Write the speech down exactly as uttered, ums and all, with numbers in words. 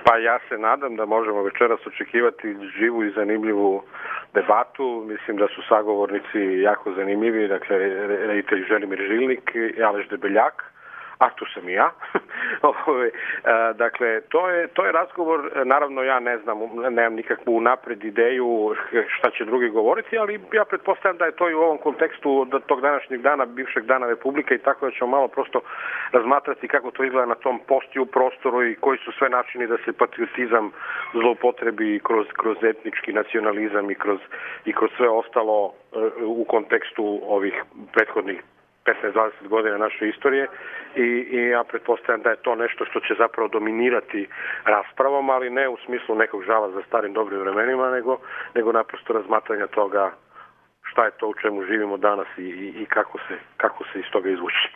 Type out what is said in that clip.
Pa ja se nadam da možemo večeras očekivati živu i zanimljivu debatu. Mislim da su sagovornici jako zanimljivi, dakle, reditelj Želimir Žilnik i Aleš Debeljak, a tu sam i ja. Dakle, to je, to je razgovor, naravno ja ne znam, nemam nikakvu napred ideju šta će drugi govoriti, ali ja pretpostavljam da je to i u ovom kontekstu tog današnjeg dana, bivšeg dana Republike i tako da ćemo malo prosto razmatrati kako to izgleda na tom postiju prostoru i koji su sve načini da se patriotizam zloupotrebi kroz, kroz etnički nacionalizam i kroz, i kroz sve ostalo u kontekstu ovih prethodnih petnaest dvadeset godina naše istorije i, i ja pretpostavljam da je to nešto što će zapravo dominirati raspravom, ali ne u smislu nekog žala za starim dobrim vremenima, nego, nego naprosto razmatranja toga šta je to u čemu živimo danas i, i, i kako se, kako se iz toga izvući.